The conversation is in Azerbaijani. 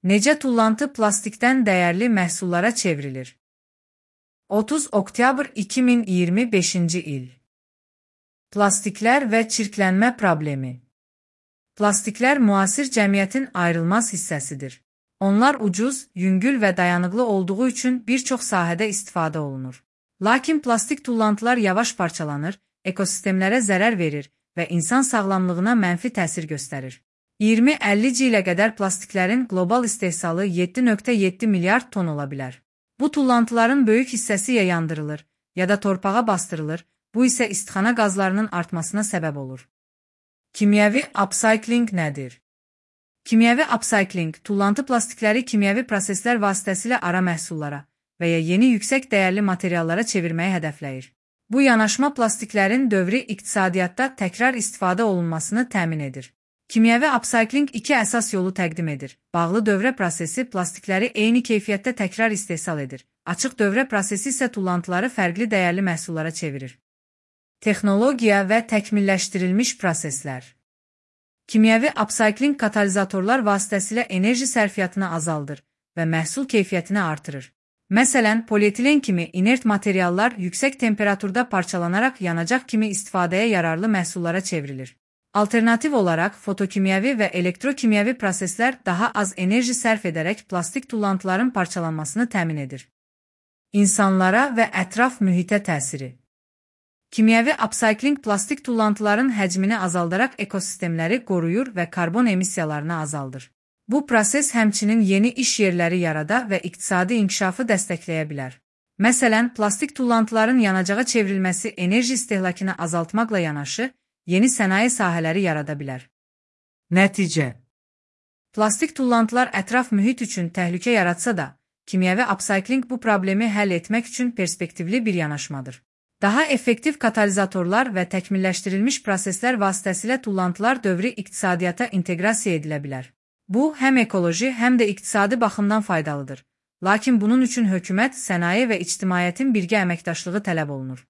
Necə tullantı plastikdən dəyərli məhsullara çevrilir? 30 oktyabr 2025-ci il. Plastiklər və çirklənmə problemi. Plastiklər müasir cəmiyyətin ayrılmaz hissəsidir. Onlar ucuz, yüngül və dayanıqlı olduğu üçün bir çox sahədə istifadə olunur. Lakin plastik tullantılar yavaş parçalanır, ekosistemlərə zərər verir və insan sağlamlığına mənfi təsir göstərir. 20-50 ilə qədər plastiklərin qlobal istehsalı 7,7 milyard ton ola bilər. Bu tullantıların böyük hissəsi ya yandırılır, ya da torpağa bastırılır, bu isə istixana qazlarının artmasına səbəb olur. Kimyəvi upcycling nədir? Kimyəvi upcycling, tullantı plastikləri kimyəvi proseslər vasitəsilə ara məhsullara və ya yeni yüksək dəyərli materiallara çevirməyi hədəfləyir. Bu yanaşma plastiklərin dövri iqtisadiyyatda təkrar istifadə olunmasını təmin edir. Kimyəvi upcycling iki əsas yolu təqdim edir. Bağlı dövrə prosesi plastikləri eyni keyfiyyətdə təkrar istehsal edir. Açıq dövrə prosesi isə tullantıları fərqli dəyərli məhsullara çevirir. Texnologiya və təkmilləşdirilmiş proseslər. Kimyəvi upcycling katalizatorlar vasitəsilə enerji sərfiyyatını azaldır və məhsul keyfiyyətini artırır. Məsələn, polietilen kimi inert materiallar yüksək temperaturda parçalanaraq yanacaq kimi istifadəyə yararlı məhsullara çevrilir. Alternativ olaraq, fotokimyəvi və elektrokimyəvi proseslər daha az enerji sərf edərək plastik tullantıların parçalanmasını təmin edir. İnsanlara və ətraf mühitə təsiri. Kimyəvi upcycling plastik tullantıların həcmini azaldaraq ekosistemləri qoruyur və karbon emissiyalarını azaldır. Bu proses həmçinin yeni iş yerləri yarada və iqtisadi inkişafı dəstəkləyə bilər. Məsələn, plastik tullantıların yanacağa çevrilməsi enerji istehlakını azaltmaqla yanaşı, yeni sənaye sahələri yarada bilər. Nəticə. Plastik tullantılar ətraf mühit üçün təhlükə yaratsa da, kimyəvi upcycling bu problemi həll etmək üçün perspektivli bir yanaşmadır. Daha effektiv katalizatorlar və təkmilləşdirilmiş proseslər vasitəsilə tullantılar dövrü iqtisadiyyata inteqrasiya edilə bilər. Bu, həm ekoloji, həm də iqtisadi baxımdan faydalıdır. Lakin bunun üçün hökumət, sənaye və ictimaiyyətin birgə əməkdaşlığı tələb olunur.